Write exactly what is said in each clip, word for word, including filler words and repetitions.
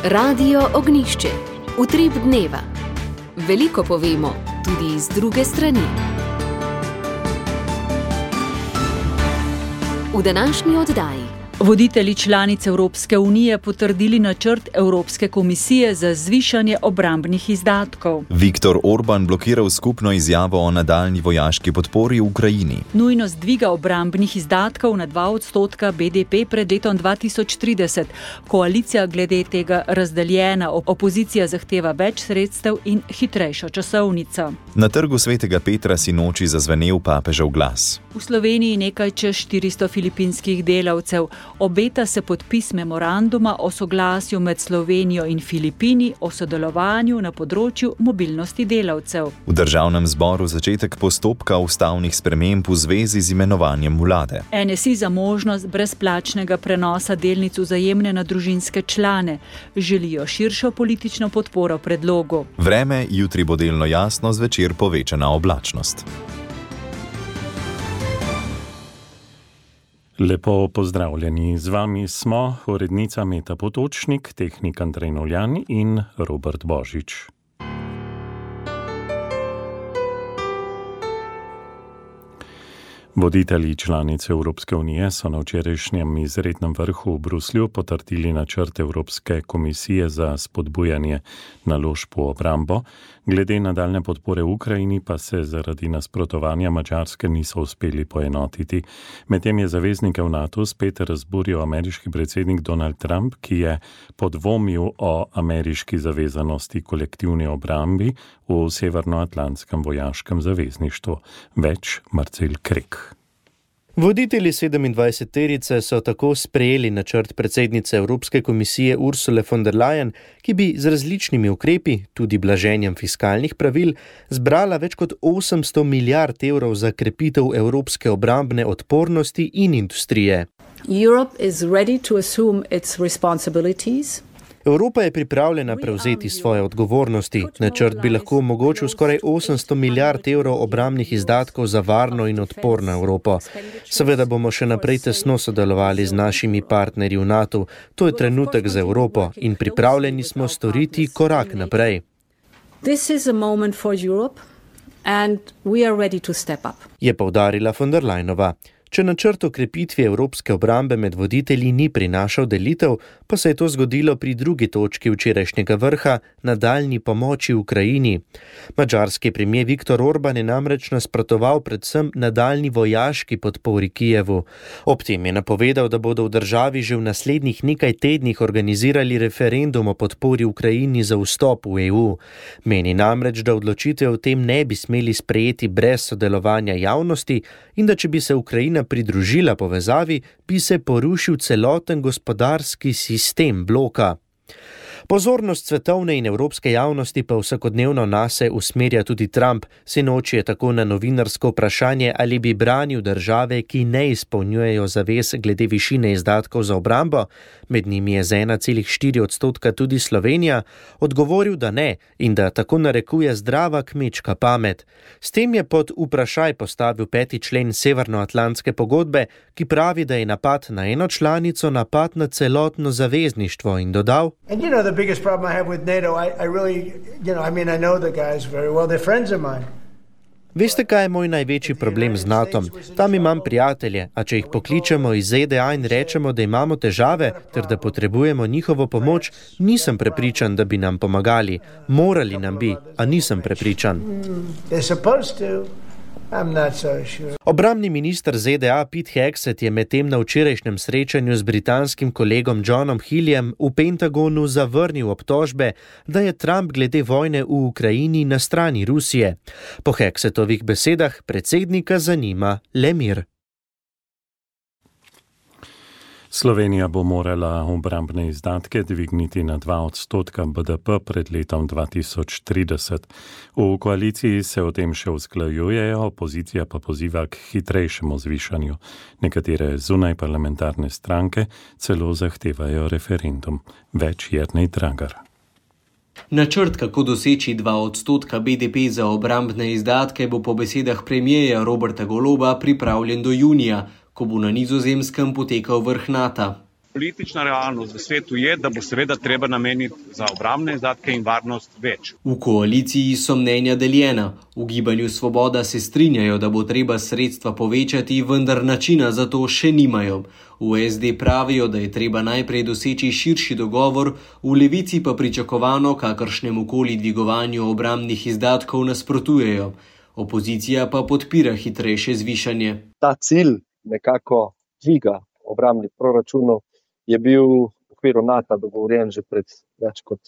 Radio Ognjišče. Utrip dneva. Veliko povemo, tudi iz druge strani. V današnji oddaji. Voditelji članic Evropske unije potrdili načrt Evropske komisije za zvišanje obrambnih izdatkov. Viktor Orban blokiral skupno izjavo o nadaljnji vojaški podpori Ukrajini. Nujnost dviga obrambnih izdatkov na dva odstotka B D P pred letom dva tisoč trideset. Koalicija glede tega razdeljena, opozicija zahteva več sredstev in hitrejšo časovnico. Na trgu Svetega Petra sinoči zazvenel papežev glas. V Sloveniji nekaj čez štiristo filipinskih delavcev. Obeta se podpis memoranduma o soglasju med Slovenijo in Filipini o sodelovanju na področju mobilnosti delavcev. V državnem zboru začetek postopka ustavnih sprememb v zvezi z imenovanjem vlade. N S I za možnost brezplačnega prenosa delnic Vzajemne na družinske člane. Želijo širšo politično podporo predlogu. Vreme, jutri bo delno jasno, zvečer povečana oblačnost. Lepo pozdravljeni, z vami smo urednica Meta Potočnik, tehnik Andrej Noljan in Robert Božič. Voditelji članic Evropske unije so na včerajšnjem izrednem vrhu v Bruslju potrdili načrt Evropske komisije za spodbujanje naložb v obrambo. Glede nadaljne podpore Ukrajini pa se zaradi nasprotovanja Madžarske niso uspeli poenotiti. Medtem je zaveznike v NATO spet razburil ameriški predsednik Donald Trump, ki je podvomil o ameriški zavezanosti kolektivni obrambi v Severnoatlantskem vojaškem zavezništvu. Več Marcel Krek. Voditelji sedemindvajseterice so tako sprejeli načrt predsednice Evropske komisije Ursule von der Leyen, ki bi z različnimi ukrepi, tudi blaženjem fiskalnih pravil, zbrala več kot osemsto milijard evrov za krepitev evropske obrambne odpornosti in industrije. Europe is ready to assume its responsibilities. Evropa je pripravljena prevzeti svoje odgovornosti. Načrt bi lahko omogočil skoraj osemsto milijard evrov obrambnih izdatkov za varno in odporno Evropo. Seveda bomo še naprej tesno sodelovali z našimi partnerji v NATO. To je trenutek za Evropo in pripravljeni smo storiti korak naprej. This is a moment for Europe and we are ready to step up. Je poudarila von der Leyenova. Če načrt o krepitvi evropske obrambe med voditelji ni prinašal delitev, pa se je to zgodilo pri drugi točki včerajšnjega vrha, nadaljnji pomoči Ukrajini. Madžarski premier Viktor Orban je namreč nasprotoval predvsem nadaljnji vojaški podpori Kijevu. Ob tem je napovedal, da bodo v državi že v naslednjih nekaj tednih organizirali referendum o podpori Ukrajini za vstop v E U. Meni namreč, da odločitve o tem ne bi smeli sprejeti brez sodelovanja javnosti in da če bi se Ukrajina pridružila povezavi, bi se porušil celoten gospodarski sistem bloka. Pozornost svetovne in evropske javnosti pa vsakodnevno nase usmerja tudi Trump. Sinoči je tako na novinarsko vprašanje, ali bi branil države, ki ne izpolnjujejo zavez glede višine izdatkov za obrambo, med njimi je z ena celih štiri odstotka tudi Slovenija, odgovoril, da ne in da tako narekuje zdrava kmečka pamet. S tem je pod vprašaj postavil peti člen Severnoatlantske pogodbe, ki pravi, da je napad na eno članico napad na celotno zavezništvo in dodal: The biggest problem I have with NATO, I, I really, you know, I mean, I know the guys very well, they're friends of mine. Veste, kaj je moj največji problem z natom? Tam imam prijatelje, a če jih pokličemo iz Z D A in rečemo, da imamo težave, ter da potrebujemo njihovo pomoč, nisem prepričan, da bi nam pomagali. Morali nam bi, a nisem prepričan. They're supposed to. I'm not so sure. Obrambni minister Z D A Pete Hegseth je medtem na včerajšnjem srečanju z britanskim kolegom Johnom Healeyjem v Pentagonu zavrnil obtožbe, da je Trump glede vojne v Ukrajini na strani Rusije. Po Hegsethovih besedah predsednika zanima le mir. Slovenija bo morala obrambne izdatke dvigniti na dva odstotka B D P pred letom dva tisoč trideset. V koaliciji se o tem še usklajujejo, opozicija pa poziva k hitrejšemu zvišanju. Nekatere zunaj parlamentarne stranke celo zahtevajo referendum. Več Jernej Dragar. Načrt, kako doseči dva odstotka B D P za obrambne izdatke, bo po besedah premierja Roberta Goloba pripravljen do junija, ko bo na Nizozemskem potekal vrh NATO. politična realnost v svetu je, da bo seveda treba nameniti za obrambne izdatke in varnost več. V koaliciji so mnenja deljena. V Gibanju Svoboda se strinjajo, da bo treba sredstva povečati, vendar načina za to še nimajo. V es de pravijo, da je treba najprej doseči širši dogovor, v Levici pa pričakovano kakršnemu koli dvigovanju obrambnih izdatkov nasprotujejo. Opozicija pa podpira hitrejše zvišanje. Ta cilj nekako dviga obrambnih proračunov je bil v okviru NATO dogovorjen že pred več kot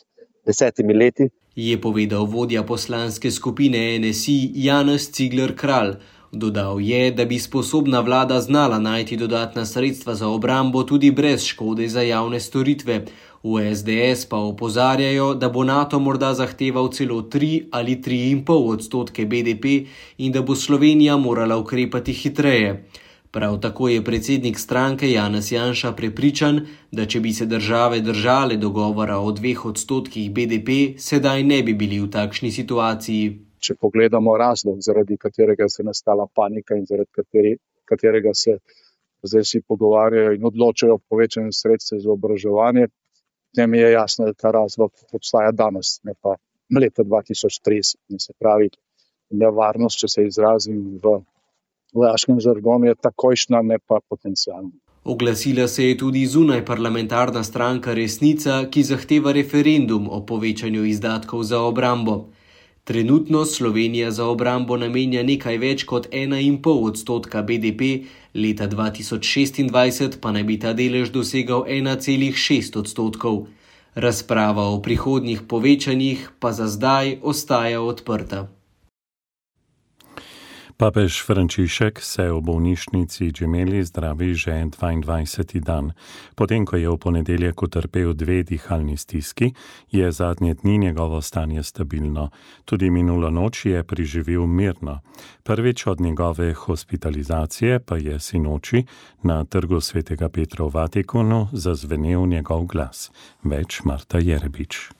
desetimi leti. Je povedal vodja poslanske skupine en es i Janez Cigler Kralj. Dodal je, da bi sposobna vlada znala najti dodatna sredstva za obrambo tudi brez škode za javne storitve. V es de es pa opozarjajo, da bo NATO morda zahteval celo tri ali tri in pol odstotke be de pe in da bo Slovenija morala ukrepati hitreje. Prav tako je predsednik stranke Janez Janša prepričan, da če bi se države držale dogovora o dveh odstotkih be de pe, sedaj ne bi bili v takšni situaciji. Če pogledamo razlog, zaradi katerega se je nastala panika in zaradi kateri, katerega se zdaj si pogovarjajo in odločajo o povečanju sredstev za oboroževanje, tem je jasno, da ta razlog obstaja danes, ne pa leta dva tisoč trideset. In se pravi, nevarnost, če se izrazim v vojaškem žargonu, je takojšnja, ne pa potencialna. Oglasila se je tudi zunaj parlamentarna stranka Resnica, ki zahteva referendum o povečanju izdatkov za obrambo. Trenutno Slovenija za obrambo namenja nekaj več kot ena in pol odstotka be de pe, leta dva tisoč šestindvajset pa naj bi ta delež dosegal ena celih šest odstotkov. Razprava o prihodnjih povečanjih pa za zdaj ostaja odprta. Papež Frančišek se v bolnišnici Gemelli zdravi že dvaindvajseti dan. Potem, ko je v ponedeljek utrpel dve dihalni stiski, je zadnje dni njegovo stanje stabilno. Tudi minulo noč je preživel mirno. Prvič od njegove hospitalizacije pa je sinoči na trgu svetega Petra v Vatikanu zazvenel njegov glas. Več Marta Jerebič.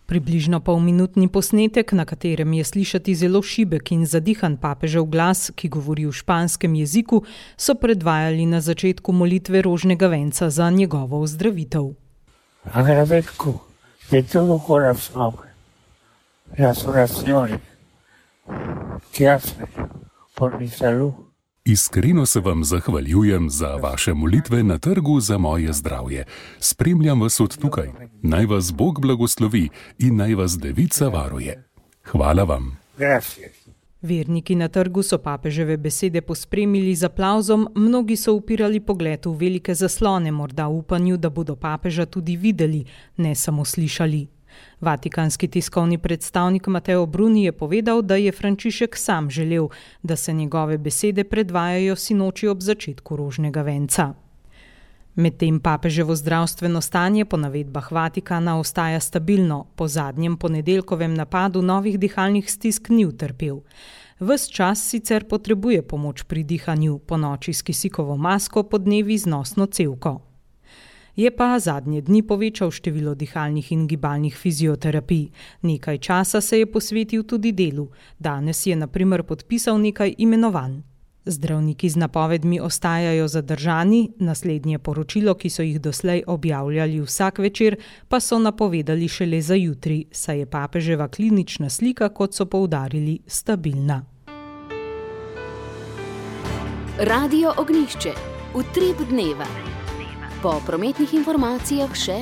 Približno polminutni posnetek, na katerem je slišati zelo šibek in zadihan papežev glas, ki govori v španskem jeziku, so predvajali na začetku molitve rožnega venca za njegovo ozdravitev. Agradezco de todo corazón las oraciones que hacen por mi salud. Iskreno se vam zahvaljujem za vaše molitve na trgu za moje zdravje. Spremljam vas od tukaj. Naj vas Bog blagoslovi in naj vas Devica varuje. Hvala vam. Verniki na trgu so papeževe besede pospremili z aplavzom, mnogi so upirali pogled v velike zaslone, morda v upanju, da bodo papeža tudi videli, ne samo slišali. Vatikanski tiskovni predstavnik Mateo Bruni je povedal, da je Frančišek sam želel, da se njegove besede predvajajo sinoči ob začetku rožnega venca. Medtem papeževo zdravstveno stanje po navedbah Vatikana ostaja stabilno, po zadnjem ponedeljkovem napadu novih dihalnih stisk ni utrpel. Ves čas sicer potrebuje pomoč pri dihanju, ponoči s kisikovo masko, podnevi z nosno cevko. Je pa zadnje dni povečal število dihalnih in gibalnih fizioterapij. Nekaj časa se je posvetil tudi delu. Danes je na primer podpisal nekaj imenovanj. Zdravniki z napovedmi ostajajo zadržani, naslednje poročilo, ki so jih doslej objavljali vsak večer, pa so napovedali šele za jutri, saj je papeževa klinična slika, kot so poudarili, stabilna. Radio Ognjišče. Utrip dneva. Po prometnih informacijah še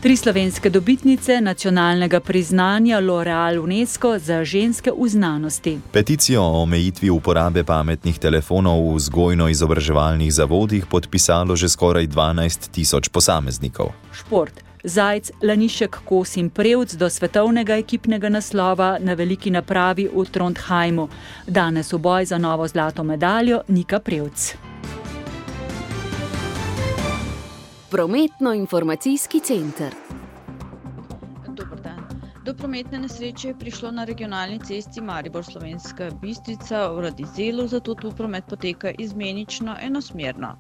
tri slovenske dobitnice nacionalnega priznanja L'Oreal UNESCO za ženske v znanosti. Peticijo o omejitvi uporabe pametnih telefonov v vzgojno-izobraževalnih zavodih podpisalo že skoraj dvanajst tisoč posameznikov. Šport. Zajc, Lanišek, Kos in Prevc do svetovnega ekipnega naslova na veliki napravi v Trondheimu. Danes v boj za novo zlato medaljo Nika Prevc. Prometno-informacijski center. Dober dan. Do prometne nesreče je prišlo na regionalni cesti Maribor-Slovenska Bistrica v Radizelu, zato tu promet poteka izmenično enosmerno.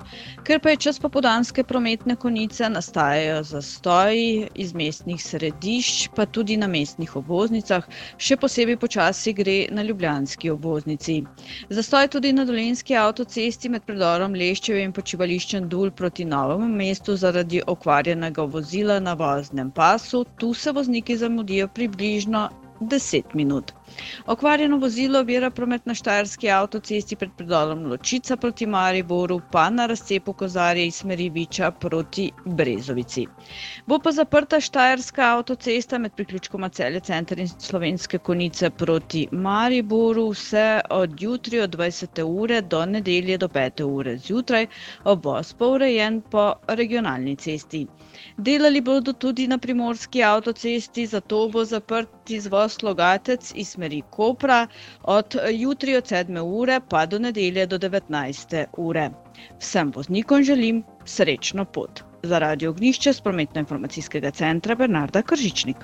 Ker pa je čas popoldanske prometne konice, nastajajo zastoji iz mestnih središč, pa tudi na mestnih obvoznicah, še posebej počasi gre na ljubljanski obvoznici. Zastoj tudi na Dolenjski avtocesti med predorom Leščeve in počivališčem Dul proti Novemu mestu zaradi okvarjenega vozila na voznem pasu. Tu se vozniki zamudijo približno deset minut. Okvarjeno vozilo ovira promet na Štajerski avtocesti pred predorom Ločica proti Mariboru, pa na razcepu Kozarje iz smeri Viča proti Brezovici. Bo pa zaprta Štajerska avtocesta med priključkoma Celje center in Slovenske Konjice proti Mariboru vse od jutri od dvajsete ure do nedelje do pete ure zjutraj, obvoz pa urejen po regionalni cesti. Delali bodo tudi na Primorski avtocesti, zato bo zaprt izvoz Logatec iz smeri Kopra od jutri od sedme ure pa do nedelje do devetnajste ure. Vsem voznikom želim srečno pot. Za Radio Ognjišče s prometno-informacijskega centra Bernarda Kržičnik.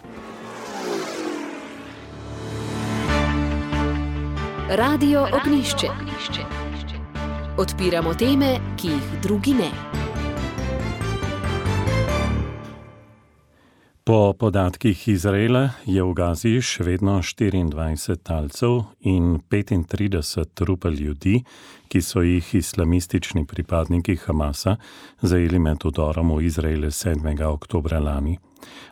Radio Ognjišče. Odpiramo teme, ki jih drugi ne. Po podatkih Izraela je v Gazi še vedno štiriindvajset talcev in petintrideset trupel ljudi, ki so jih islamistični pripadniki Hamasa zajeli med vdorom v Izrael sedmega oktobra lani.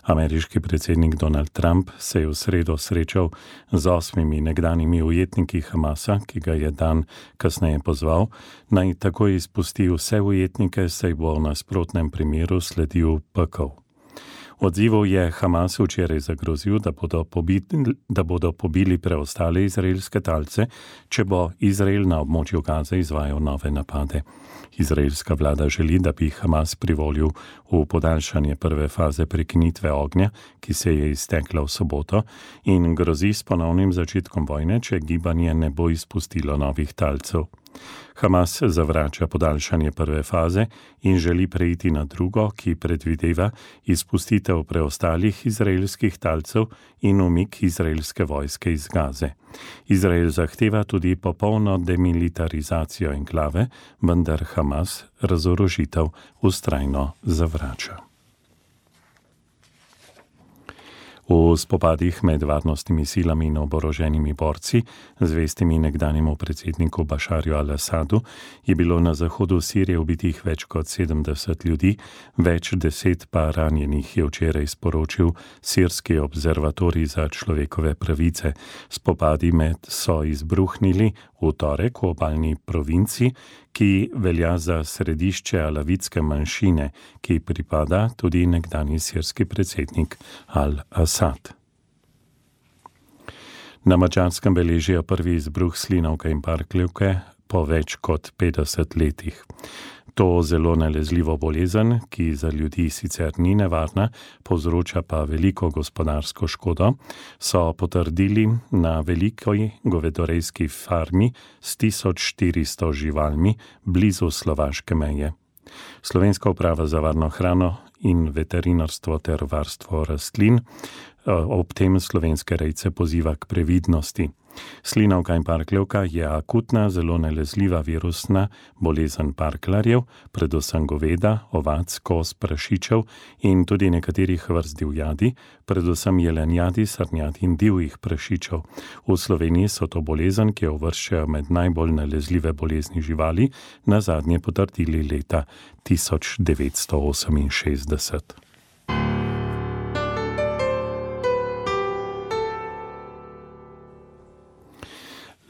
Ameriški predsednik Donald Trump se je v sredo srečal z osmimi nekdanjimi ujetniki Hamasa, ki ga je dan kasneje pozval, naj takoj izpusti vse ujetnike, saj bo v nasprotnem primeru sledil pekel. Odzivov je Hamas včeraj zagrozil, da bodo, pobili, da bodo pobili preostale izraelske talce, če bo Izrael na območju Gaze izvajal nove napade. Izraelska vlada želi, da bi Hamas privolil v podaljšanje prve faze prekinitve ognja, ki se je iztekla v soboto, in grozi s ponovnim začetkom vojne, če gibanje ne bo izpustilo novih talcev. Hamas zavrača podaljšanje prve faze in želi preiti na drugo, ki predvideva izpustitev preostalih izraelskih talcev in umik izraelske vojske iz Gaze. Izrael zahteva tudi popolno demilitarizacijo enklave, vendar Hamas razorožitev vztrajno zavrača. V spopadih med varnostnimi silami in oboroženimi borci, zvestimi nekdanjemu predsedniku Bašarju al-Asadu, je bilo na zahodu Sirije ubitih več kot sedemdeset ljudi, več deset pa ranjenih, je včeraj sporočil Sirski observatorij za človekove pravice. Spopadi med so izbruhnili v torek v obalni provinci, ki velja za središče alavitske manjšine, ki pripada tudi nekdanji sirski predsednik al-Asad. Na Madžarskem beležijo prvi izbruh slinavke in parkljivke po več kot petdeset letih. To zelo nalezljivo bolezen, ki za ljudi sicer ni nevarna, povzroča pa veliko gospodarsko škodo, so potrdili na veliki govedorejski farmi s tisoč štiristo živalmi blizu slovaške meje. Slovenska uprava za varno hrano in veterinarstvo ter varstvo rastlin ob tem slovenske rejce poziva k previdnosti. Slinavka in parkljivka je akutna, zelo nalezljiva virusna bolezen parkljarjev, predvsem goveda, ovac, koz, prašičev in tudi nekaterih vrst divjadi, predvsem jelenjadi, srnjadi in divjih prašičev. V Sloveniji so to bolezen, ki jo uvrščajo med najbolj nalezljive bolezni živali, nazadnje potrdili leta tisoč devetsto oseminšestdeset.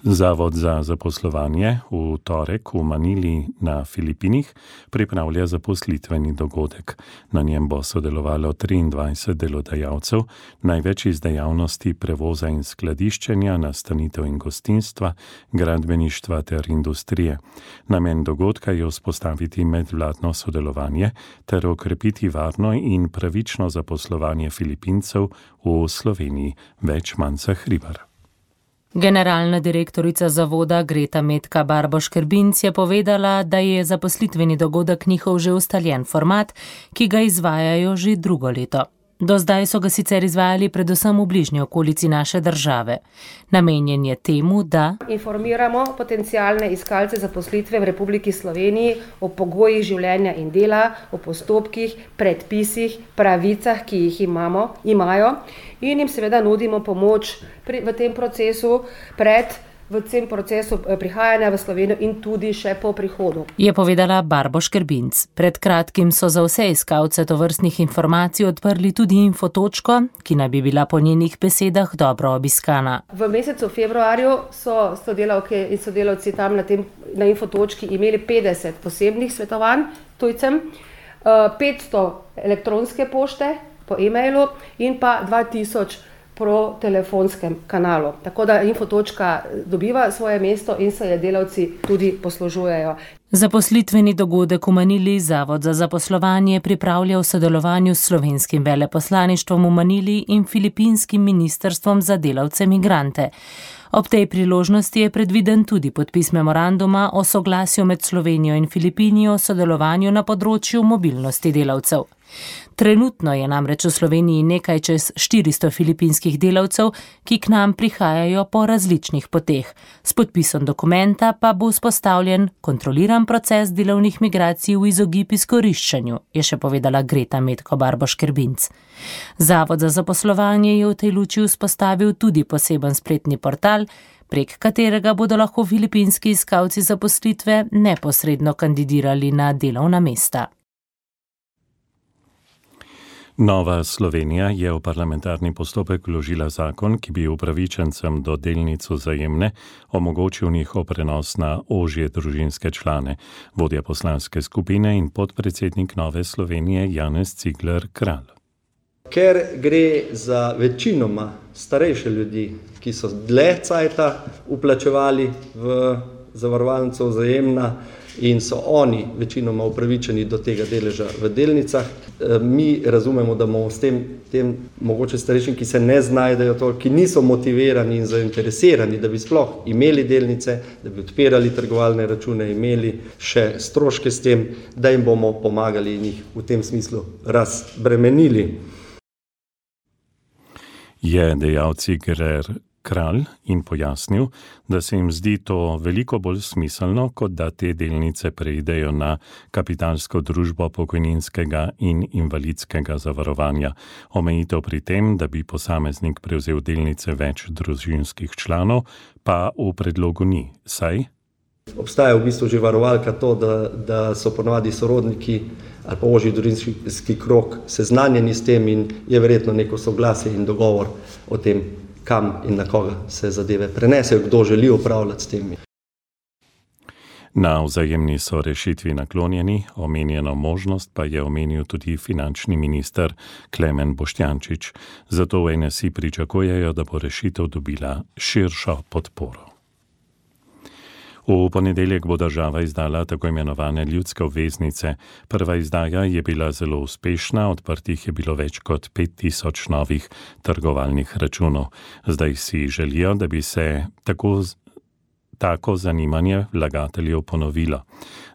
Zavod za zaposlovanje v torek v Manili na Filipinih pripravlja zaposlitveni dogodek. Na njem bo sodelovalo triindvajset delodajalcev, največ iz dejavnosti prevoza in skladiščenja, nastanitev in gostinstva, gradbeništva ter industrije. Namen dogodka je vzpostaviti medvladno sodelovanje ter okrepiti varno in pravično zaposlovanje Filipincev v Sloveniji. Več Manca Hribar. Generalna direktorica zavoda Greta Metka Barboš-Kerbinc je povedala, da je zaposlitveni dogodek njihov že ustaljen format, ki ga izvajajo že drugo leto. Do zdaj so ga sicer izvajali predvsem v bližnji okolici naše države. Namenjen je temu, da informiramo potencialne iskalce zaposlitve v Republiki Sloveniji o pogojih življenja in dela, o postopkih, predpisih, pravicah, ki jih imamo, imajo in jim seveda nudimo pomoč pri, v tem procesu pred v tem procesu prihajanja v Slovenijo in tudi še po prihodu. Je povedala Barbo Škrbinc. Pred kratkim so za vse iskalce tovrstnih informacij odprli tudi infotočko, ki naj bi bila po njenih besedah dobro obiskana. V mesecu februarju so sodelavke in sodelavci tam na, tem, na infotočki imeli petdeset posebnih svetovanj tujcem, petsto elektronske pošte po e-mailu in pa dva tisoč po telefonskem kanalu. Tako da infotočka dobiva svoje mesto in se je delavci tudi poslužujejo. Zaposlitveni dogodek v Manili Zavod za zaposlovanje pripravlja v sodelovanju s slovenskim veleposlaništvom v Manili in filipinskim ministrstvom za delavce migrante. Ob tej priložnosti je predviden tudi podpis memoranduma o soglasju med Slovenijo in Filipinijo o sodelovanju na področju mobilnosti delavcev. Trenutno je namreč v Sloveniji nekaj čez štiristo filipinskih delavcev, ki k nam prihajajo po različnih poteh. S podpisom dokumenta pa bo vzpostavljen kontroliran proces delovnih migracij v izogib izkoriščanju, je še povedala Greta Metko Barbo Škrbinc. Zavod za zaposlovanje je v tej luči vzpostavil tudi poseben spletni portal, prek katerega bodo lahko filipinski iskalci zaposlitve neposredno kandidirali na delovna mesta. Nova Slovenija je v parlamentarni postopek vložila zakon, ki bi upravičencem do delnic Vzajemne omogočil njihov prenos na ožje družinske člane. Vodja poslanske skupine in podpredsednik Nove Slovenije Janez Cigler Kralj. Ker gre za večinoma starejše ljudi, ki so dlje cajta vplačevali v zavarovalnico Vzajemna in so oni večinoma upravičeni do tega deleža v delnicah. Mi razumemo, da bomo s tem, tem mogoče starejšim, ki se ne znajdejo to, ki niso motivirani in zainteresirani, da bi sploh imeli delnice, da bi odpirali trgovalne račune, imeli še stroške s tem, da jim bomo pomagali in jih v tem smislu razbremenili. Je dejal Cigler Kralj in pojasnil, da se jim zdi to veliko bolj smiselno, kot da te delnice preidejo na kapitalsko družbo pokojninskega in invalidskega zavarovanja. Omejitev pri tem, da bi posameznik prevzel delnice več družinskih članov, pa v predlogu ni, saj obstaja v bistvu že varovalka to, da, da so ponovadi sorodniki ali pa ožji družinski krog seznanjeni s tem in je verjetno neko soglasje in dogovor o tem, kam in na koga se zadeve prenesejo, kdo želi upravljati s temi. Na Vzajemni so rešitvi naklonjeni, omenjeno možnost pa je omenil tudi finančni minister Klemen Boštjančič. Zato v N S I pričakujejo, da bo rešitev dobila širšo podporo. V ponedeljek bo država izdala tako imenovane ljudske obveznice. Prva izdaja je bila zelo uspešna, odprtih je bilo več kot pet tisoč novih trgovalnih računov. Zdaj si želijo, da bi se tako, tako zanimanje vlagateljev ponovilo.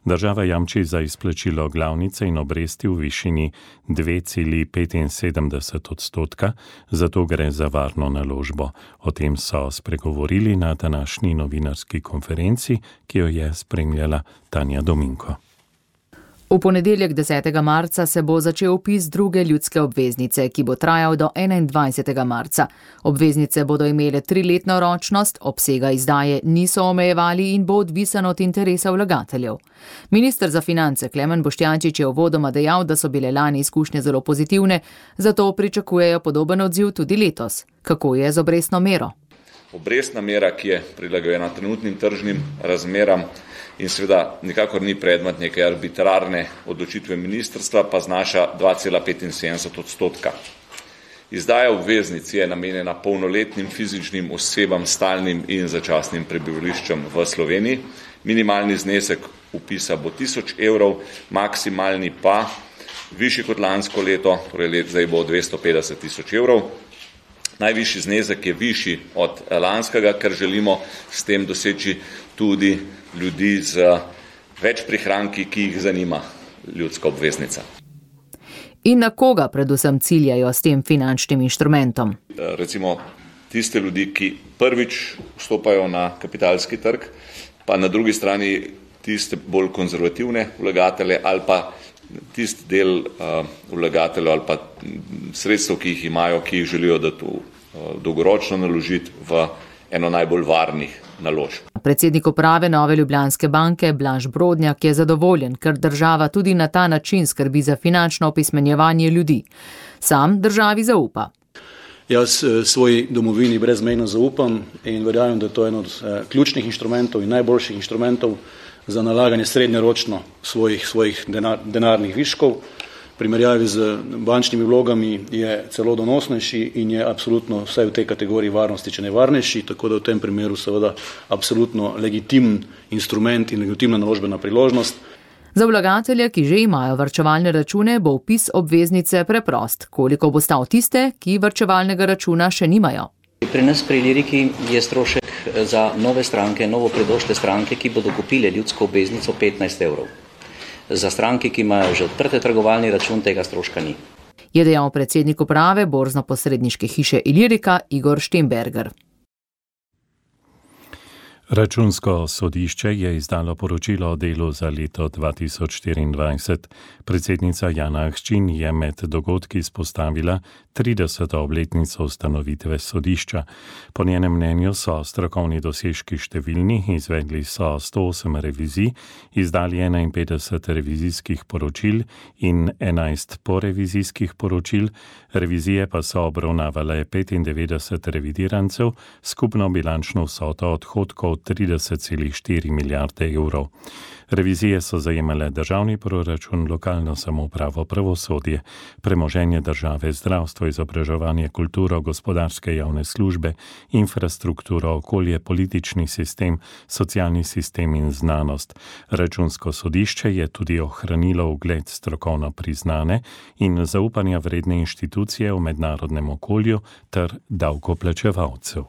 Država jamči za izplačilo glavnice in obresti v višini dve celi petinsedemdeset odstotka, zato gre za varno naložbo. O tem so spregovorili na današnji novinarski konferenci, ki jo je spremljala Tanja Dominko. V ponedeljek desetega marca se bo začel vpis druge ljudske obveznice, ki bo trajal do enaindvajsetega marca. Obveznice bodo imele triletno ročnost, obsega izdaje niso omejevali in bo odvisen od interesa vlagateljev. Minister za finance Klemen Boštjančič je uvodoma dejal, da so bile lani izkušnje zelo pozitivne, zato pričakujejo podoben odziv tudi letos. Kako je z obrestno mero? Obrestna mera, ki je prilagojena trenutnim tržnim razmeram in seveda nikakor ni predmet neke arbitrarne odločitve ministrstva, pa znaša dva cela petinsedemdeset odstotka. Izdaja obveznic je namenjena polnoletnim fizičnim osebam s stalnim in začasnim prebivališčem v Sloveniji. Minimalni znesek vpisa bo tisoč evrov, maksimalni pa višji kot lansko leto, torej let zdaj bo dvesto petdeset tisoč evrov. Najvišji znesek je višji od lanskega, ker želimo s tem doseči tudi ljudi z več prihranki, ki jih zanima ljudska obveznica. In na koga predvsem ciljajo s tem finančnim inštrumentom? Recimo tiste ljudi, ki prvič vstopajo na kapitalski trg, pa na drugi strani tiste bolj konzervativne vlagatelje ali pa tisti del uh, vlagateljev ali pa sredstev, ki jih imajo, ki jih želijo dati v, uh, dolgoročno naložiti v eno najbolj varnih naložb. Predsednik uprave Nove Ljubljanske banke Blaž Brodnjak je zadovoljen, ker država tudi na ta način skrbi za finančno opismenjevanje ljudi. Sam državi zaupa. Jaz svoji domovini brezmejno zaupam in verjamem, da je to eno od eh, ključnih inštrumentov in najboljših inštrumentov za nalaganje srednjeročno svojih, svojih denar, denarnih viškov. V primerjavi z bančnimi vlogami je celo donosnejši in je absolutno vsaj v tej kategoriji varnosti, če ne varnejši, tako da v tem primeru seveda absolutno legitimen instrument in legitimna naložbena priložnost. Za vlagatelje, ki že imajo varčevalne račune, bo vpis obveznice preprost. Koliko bo stal tiste, ki varčevalnega računa še nimajo? Pri nas pri Liriki je strošek za nove stranke, novo predošle stranke, ki bodo kupile ljudsko obveznico petnajst evrov. Za stranke, ki imajo že odprte trgovalni račun, tega stroška ni. Je dejal predsednik uprave borzno-posredniške hiše Ilirika Igor Štemberger. Računsko sodišče je izdalo poročilo o delu za leto dva tisoč štiriindvajset. Predsednica Jana Ahčin je med dogodki izpostavila trideseto obletnico ustanovitve sodišča. Po njenem mnenju so strokovni dosežki številni, izvedli so sto osem revizij, izdali enainpetdeset revizijskih poročil in enajst porevizijskih poročil, revizije pa so obravnavale petindevetdeset revidirancev, skupno bilančno vsoto odhodkov trideset celih štiri milijarde evrov. Revizije so zajemale državni proračun, lokalno samoupravo, pravosodje, premoženje države, zdravstvo, izobraževanje, kulturo, gospodarske javne službe, infrastrukturo, okolje, politični sistem, socialni sistem in znanost. Računsko sodišče je tudi ohranilo ugled strokovno priznane in zaupanja vredne inštitucije v mednarodnem okolju ter davkoplačevalcev.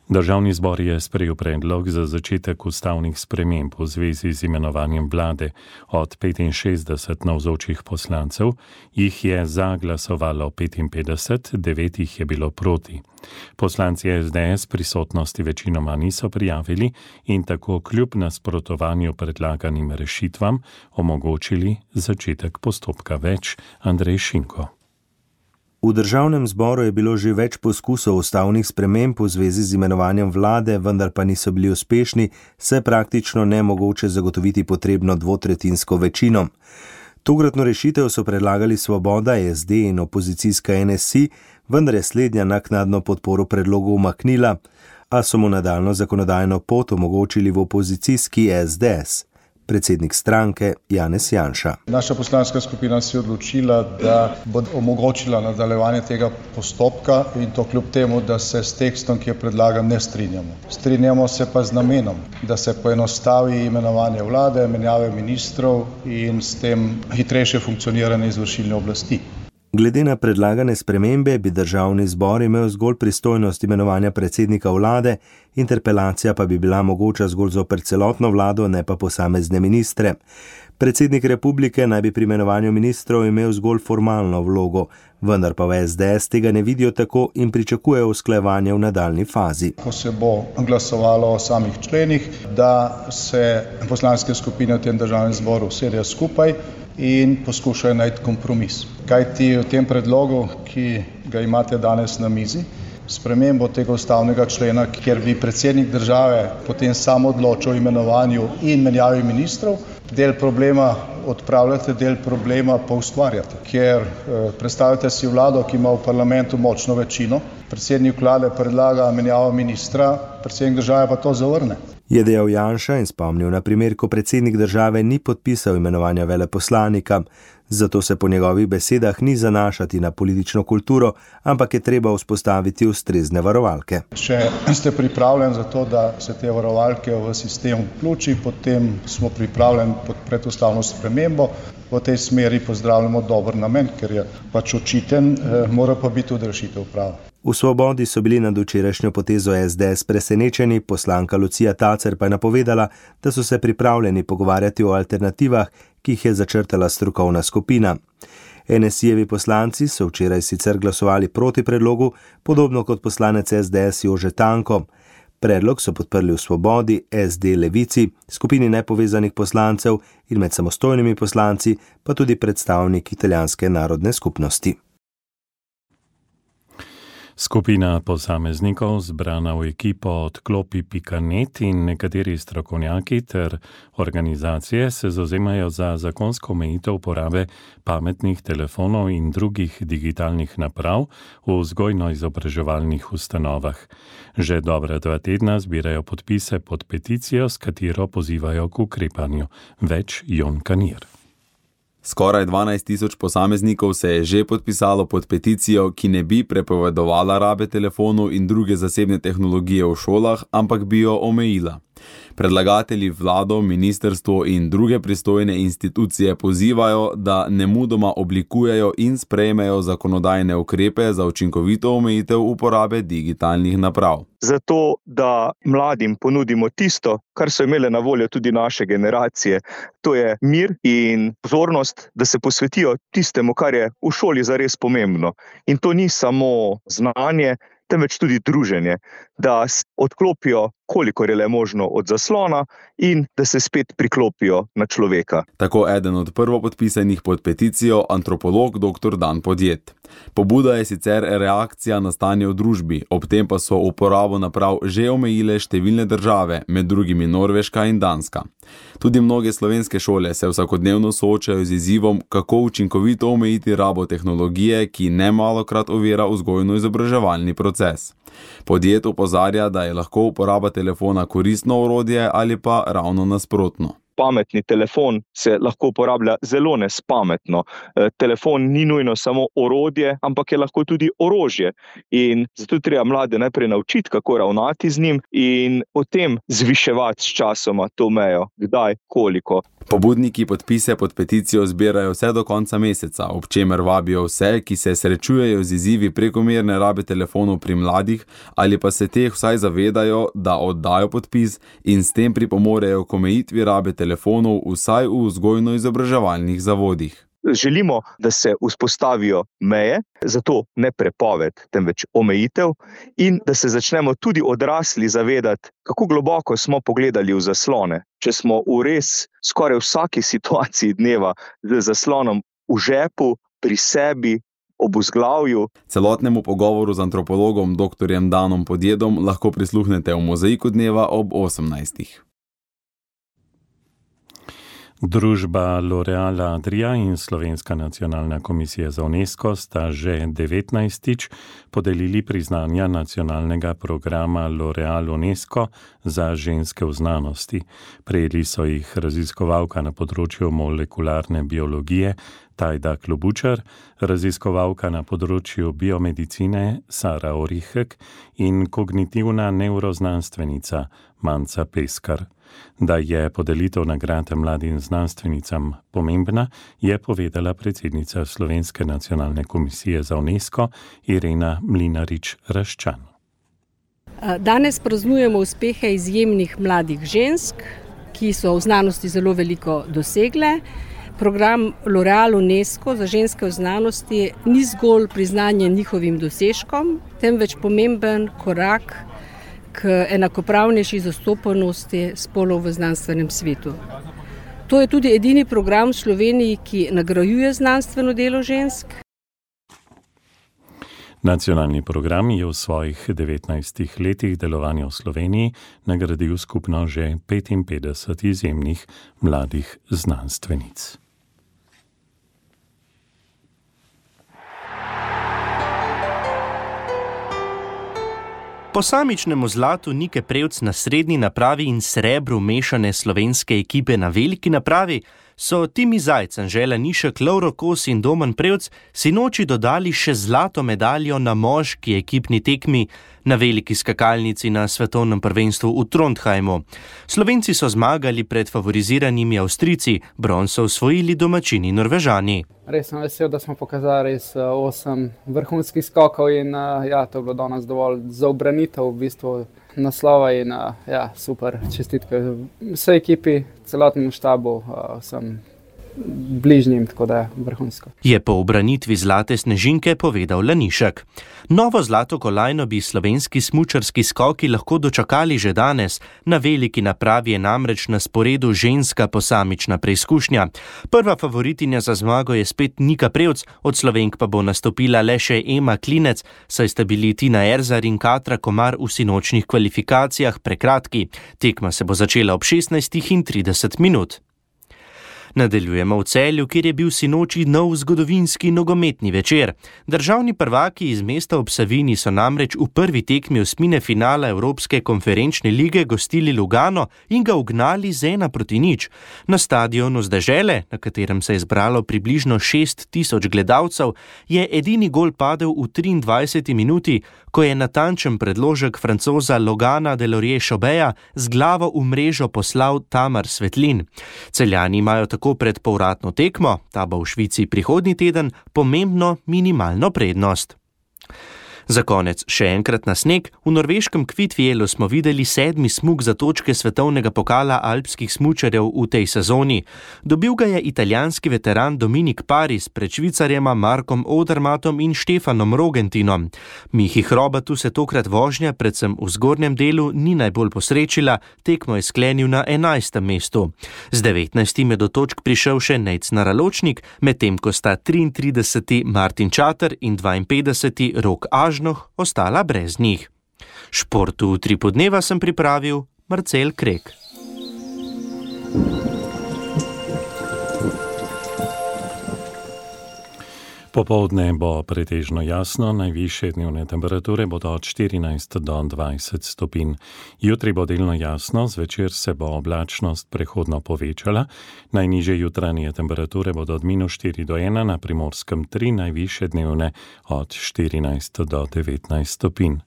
Državni zbor je sprejel predlog za začetek ustavnih sprememb v zvezi z imenovanjem vlade. Od petinšestdeset navzočih poslancev jih je za glasovalo petinpetdeset, devet jih je bilo proti. Poslanci es de es prisotnosti večinoma niso prijavili in tako kljub nasprotovanju predlaganim rešitvam omogočili začetek postopka. Več Andrej Šinko. V državnem zboru je bilo že več poskusov ustavnih sprememb v zvezi z imenovanjem vlade, vendar pa niso bili uspešni, saj praktično nemogoče zagotoviti potrebno dvotretjinsko večino. Tokratno rešitev so predlagali Svoboda, es de in opozicijska en es i, vendar je slednja naknadno podporo predlogu umaknila, a so mu nadaljnjo zakonodajno pot omogočili v opozicijski es de es. Predsednik stranke Janez Janša. Naša poslanska skupina se je odločila, da bo omogočila nadaljevanje tega postopka in to kljub temu, da se s tekstom, ki je predlagan, ne strinjamo. Strinjamo se pa z namenom, da se poenostavi imenovanje vlade, menjave ministrov in s tem hitrejše funkcioniranje izvršilne oblasti. Glede na predlagane spremembe bi državni zbor imel zgolj pristojnost imenovanja predsednika vlade, interpelacija pa bi bila mogoča zgolj zoper celotno vlado, ne pa posamezne ministre. Predsednik republike naj bi pri imenovanju ministrov imel zgolj formalno vlogo, vendar pa v es de es tega ne vidijo tako in pričakujejo usklajevanje v nadaljni fazi. Ko se bo glasovalo o samih členih, da se poslanske skupine v tem državnem zboru usedejo skupaj in poskušajo najti kompromis. Kajti v tem predlogu, ki ga imate danes na mizi, spremembo tega ustavnega člena, kjer bi predsednik države potem sam odločil o imenovanju in menjavi ministrov, del problema odpravljate, del problema pa ustvarjate. Ker eh, predstavljate si vlado, ki ima v parlamentu močno večino, predsednik vlade predlaga menjavo ministra, predsednik države pa to zavrne. Je dejal Janša in spomnil na primer, ko predsednik države ni podpisal imenovanja veleposlanika, zato se po njegovih besedah ni zanašati na politično kulturo, ampak je treba vzpostaviti ustrezne varovalke. Če ste pripravljeni za to, da se te varovalke v sistem vključi, potem smo pripravljeni podpreti ustavno spremembo. V tej smeri pozdravljamo dober namen, ker je pač očiten, mora pa biti tudi rešitev prava. V Svobodi so bili nad včerajšnjo potezo es de es presenečeni, poslanka Lucija Tacer pa je napovedala, da so se pripravljeni pogovarjati o alternativah, ki jih je začrtala strokovna skupina. en es i-jevi poslanci so včeraj sicer glasovali proti predlogu, podobno kot poslanec es de es Jože Tanko. Predlog so podprli v Svobodi, es de, Levici, skupini nepovezanih poslancev in med samostojnimi poslanci, pa tudi predstavnik italijanske narodne skupnosti. Skupina posameznikov zbrana v ekipo odklopi pika net in nekateri strokovnjaki ter organizacije se zauzemajo za zakonsko omejitev uporabe pametnih telefonov in drugih digitalnih naprav v vzgojno-izobraževalnih ustanovah. Že dobra dva tedna zbirajo podpise pod peticijo, s katero pozivajo k ukrepanju. Več Jon Kanir. Skoraj dvanajst tisoč posameznikov se je že podpisalo pod peticijo, ki ne bi prepovedovala rabe telefonov in druge zasebne tehnologije v šolah, ampak bi jo omejila. Predlagatelji vlado, ministrstvo in druge pristojne institucije pozivajo, da nemudoma oblikujejo in sprejmejo zakonodajne ukrepe za učinkovito omejitev uporabe digitalnih naprav. Zato, da mladim ponudimo tisto, kar so imele na voljo tudi naše generacije, to je mir in pozornost, da se posvetijo tistemu, kar je v šoli zares pomembno. In to ni samo znanje, temveč tudi druženje, da odklopijo, kolikor je le možno od zaslona in da se spet priklopijo na človeka. Tako eden od prvopodpisanih pod peticijo antropolog doktor Dan Podjet. Pobuda je sicer reakcija na stanje v družbi, ob tem pa so uporabo naprav že omejile številne države, med drugimi Norveška in Danska. Tudi mnoge slovenske šole se vsakodnevno soočajo z izzivom, kako učinkovito omejiti rabo tehnologije, ki nemalokrat ovira vzgojno-izobraževalni proces. Podjet opozarja, da je lahko uporaba telefona koristno orodje ali pa ravno nasprotno. Pametni telefon se lahko uporablja zelo nespametno. Telefon ni nujno samo orodje, ampak je lahko tudi orožje. In zato treba mlade najprej naučiti, kako ravnati z njim in potem zviševati s časoma to mejo, kdaj, koliko. Pobudniki podpise pod peticijo zbirajo vse do konca meseca, ob čemer vabijo vse, ki se srečujejo z izzivi prekomerne rabe telefonov pri mladih ali pa se teh vsaj zavedajo, da oddajo podpis in s tem pripomorejo k omejitvi rabe telefonov vsaj v vzgojno-izobraževalnih zavodih. Želimo, da se vzpostavijo meje, zato ne prepoved, temveč omejitev in da se začnemo tudi odrasli zavedati, kako globoko smo pogledali v zaslone. Če smo v res skoraj vsaki situaciji dneva z zaslonom v žepu, pri sebi, ob vzglavju. Celotnemu pogovoru z antropologom doktorjem Danom Podjedom lahko prisluhnete v Mozaiku dneva ob osemnajstih. Družba L'Oréal Adria in Slovenska nacionalna komisija za UNESCO sta že devetnajstič podelili priznanja nacionalnega programa L'Oréal UNESCO za ženske v znanosti. Prejeli so jih raziskovalka na področju molekularne biologije Tajda Klobučar, raziskovalka na področju biomedicine Sara Orihek in kognitivna neuroznanstvenica Manca Peskar. Da je podelitev nagrade mladim znanstvenicam pomembna, je povedala predsednica Slovenske nacionalne komisije za UNESCO Irena Mlinarič-Raščan. Danes praznujemo uspehe izjemnih mladih žensk, ki so v znanosti zelo veliko dosegle. Program L'Oréal UNESCO za ženske v znanosti ni zgolj priznanje njihovim dosežkom, temveč pomemben korak k enakopravnejši zastopanosti spolov v znanstvenem svetu. To je tudi edini program v Sloveniji, ki nagrajuje znanstveno delo žensk. Nacionalni program je v svojih devetnajstih letih delovanja v Sloveniji nagradil skupno že petinpetdeset izjemnih mladih znanstvenic. Posamičnemu zlatu Nike Prevc na srednji napravi in srebru mešane slovenske ekipe na veliki napravi so Timi Zajc, Anžela Nišek, Lovro Kos in Domen Prevc sinoči dodali še zlato medaljo na moški ekipni tekmi na veliki skakalnici na svetovnem prvenstvu v Trondheimu. Slovenci so zmagali pred favoriziranimi Avstrijci, bron so osvojili domačini Norvežani. Res sem vesel, da smo pokazali res osem vrhunskih skokov in ja, to je bilo danes dovolj za ubranitev v bistvu naslova in ja, super, čestitke vsej ekipi, celotnemu štabu, vsem bližnjim, tako da je vrhunsko. Je po ubranitvi zlate snežinke povedal Lanišek. Novo zlato kolajno bi slovenski smučarski skoki lahko dočakali že danes. Na veliki napravi je namreč na sporedu ženska posamična preizkušnja. Prva favoritinja za zmago je spet Nika Prevc, od Slovenk pa bo nastopila le še Ema Klinec, saj sta bili Tina Erzar in Katra Komar v sinočnih kvalifikacijah prekratki. Tekma se bo začela ob šestnajstih trideset minut. Nadaljujemo v Celju, kjer je bil sinoči nov zgodovinski nogometni večer. Državni prvaki iz mesta ob Savinji so namreč v prvi tekmi osmine finala Evropske konferenčne lige gostili Lugano in ga ugnali z ena proti nič. Na stadionu z dežele, na katerem se je zbralo približno šest tisoč gledalcev, je edini gol padel v triindvajseti minuti, ko je natančen predložek Francoza Logana Delorje-Chobeja z glavo v mrežo poslal Tamar Svetlin. Celjani imajo tako pred povratno tekmo, ta bo v Švici prihodnji teden, pomembno minimalno prednost. Za konec še enkrat na sneg. V norveškem Kvitfjellu smo videli sedmi smuk za točke svetovnega pokala alpskih smučarjev v tej sezoni. Dobil ga je italijanski veteran Dominik Paris pred Švicarjema Markom Odermatom in Štefanom Rogentinom. Mihi Hrobatu se tokrat vožnja, predvsem v zgornjem delu, ni najbolj posrečila, tekmo je sklenil na enajstem mestu. Z devetnajstim je do točk prišel še Nejc Naraločnik, medtem ko sta triintrideseti Martin Čater in dvainpetdeseti Rok Až ostala brez njih. Športu v tri podneva sem pripravil Marcel Krek. Popoldne bo pretežno jasno, najvišje dnevne temperature bodo od štirinajst do dvajset stopinj. Jutri bo delno jasno, zvečer se bo oblačnost prehodno povečala, najnižje jutranje temperature bodo od minus štiri do ena, na Primorskem tri, najvišje dnevne od štirinajst do devetnajst stopinj.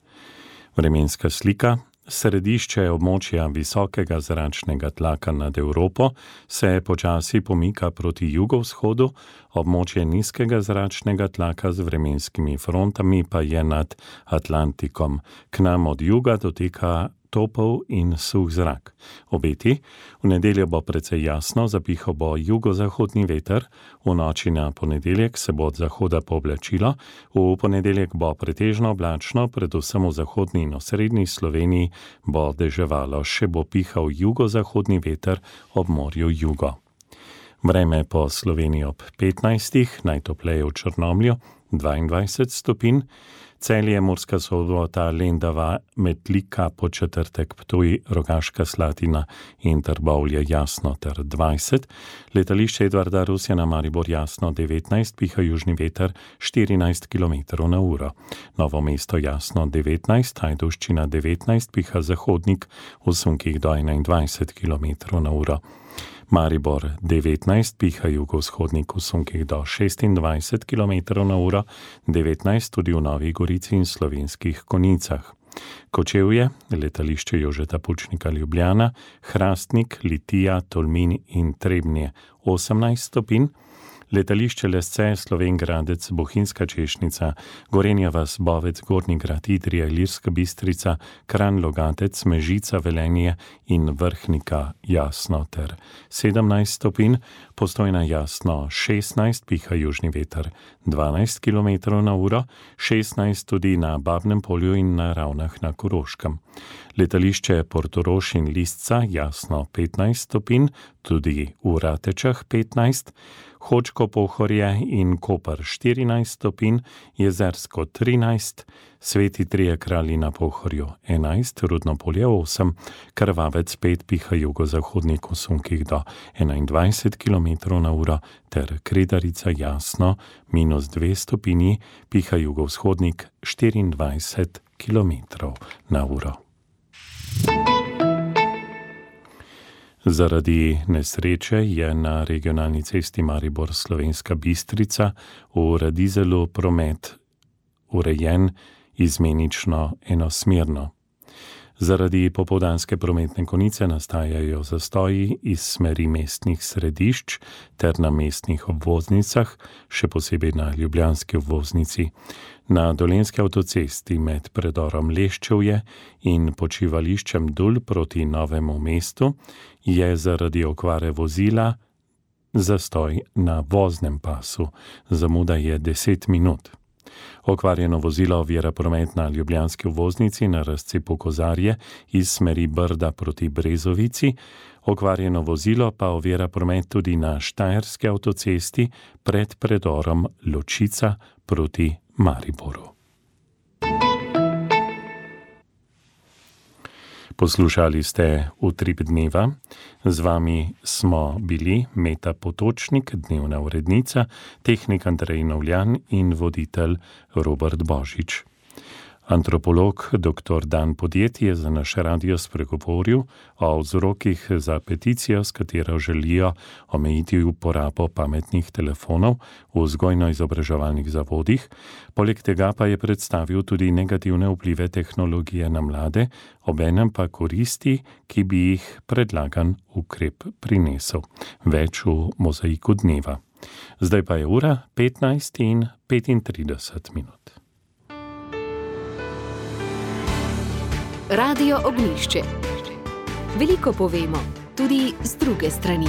Vremenska slika. Središče območja visokega zračnega tlaka nad Evropo se počasi pomika proti jugovzhodu, območje nizkega zračnega tlaka z vremenskimi frontami pa je nad Atlantikom. K nam od juga doteka topel in suh zrak. Obeti, v nedeljo bo precej jasno, zapihal bo jugozahodni veter, v noči na ponedeljek se bo od zahoda pooblačilo, v ponedeljek bo pretežno oblačno, predvsem v zahodni in osrednji Sloveniji bo deževalo, še bo pihal jugozahodni veter ob morju jugo. Vreme po Sloveniji ob petnajstih, najtopleje v Črnomlju, dvaindvajset stopinj, Celje, Murska Sobota, Lendava, Metlika, Podčetrtek, Ptuj, Rogaška Slatina in Trbovlje jasno ter dvajset, letališče Edvarda Rusjana Maribor jasno devetnajst, piha južni veter štirinajst kilometrov na uro. Novo mesto jasno devetnajst, Ajdovščina devetnajst, piha zahodnik v sunkih do enaindvajset kilometrov na uro. Maribor devetnajst, piha jugovzhodnik v sunkih do šestindvajset kilometrov na uro, devetnajst tudi v Novi Gorici in Slovenskih Konjicah. Kočevje, letališče Jožeta Pučnika Ljubljana, Hrastnik, Litija, Tolmin in Trebnje osemnajst stopinj, letališče Lesce, Slovenj Gradec, Bohinjska Češnica, Gorenja vas, Bovec, Gornji Grad, Idrija, Ilirska Bistrica, Kranj, Logatec, Mežica, Velenje in Vrhnika jasno ter sedemnajst stopinj, Postojna jasno šestnajst, piha južni veter dvanajst kilometrov na uro, šestnajst tudi na Babnem polju in na Ravnah na Koroškem. Letališče Portorož in Lisca jasno petnajst stopinj, tudi v Ratečah petnajst, Hočko Pohorje in Koper štirinajst stopinj, Jezersko trinajst, Sveti Trije Kralji na Pohorju enajst, Rudno polje osem, Krvavec pet, piha jugozahodnik v sunkih do enaindvajset kilometrov na uro ter Kredarica jasno minus dve stopinji, piha jugovzhodnik štiriindvajset kilometrov na uro. Zaradi nesreče je na regionalni cesti Maribor-Slovenska Bistrica v Radizelu promet urejen izmenično enosmerno. Zaradi popoldanske prometne konice nastajajo zastoji iz smeri mestnih središč ter na mestnih obvoznicah, še posebej na ljubljanski obvoznici. Na Dolenjski avtocesti med predorom Leščevje in počivališčem Dul proti Novemu mestu je zaradi okvare vozila zastoj na voznem pasu. Zamuda je deset minut. Okvarjeno vozilo ovira promet na ljubljanski obvoznici na razcepu Kozarje iz smeri Brda proti Brezovici. Okvarjeno vozilo pa ovira promet tudi na Štajerski avtocesti pred predorom Ločica proti Mariboru. Poslušali ste Utrip dneva. Z vami smo bili Meta Potočnik, dnevna urednica, tehnik Andrej Novljan in voditelj Robert Božič. Antropolog doktor Dan Podjed je za naš radio spregovoril o vzrokih za peticijo, s katero želijo omejiti uporabo pametnih telefonov v vzgojno-izobraževalnih zavodih. Poleg tega pa je predstavil tudi negativne vplive tehnologije na mlade, obenem pa koristi, ki bi jih predlagan ukrep prinesel. Več v mozaiku dneva. Zdaj pa je ura petnajst in petintrideset minut. Radio Ognjišče. Veliko povemo, tudi z druge strani.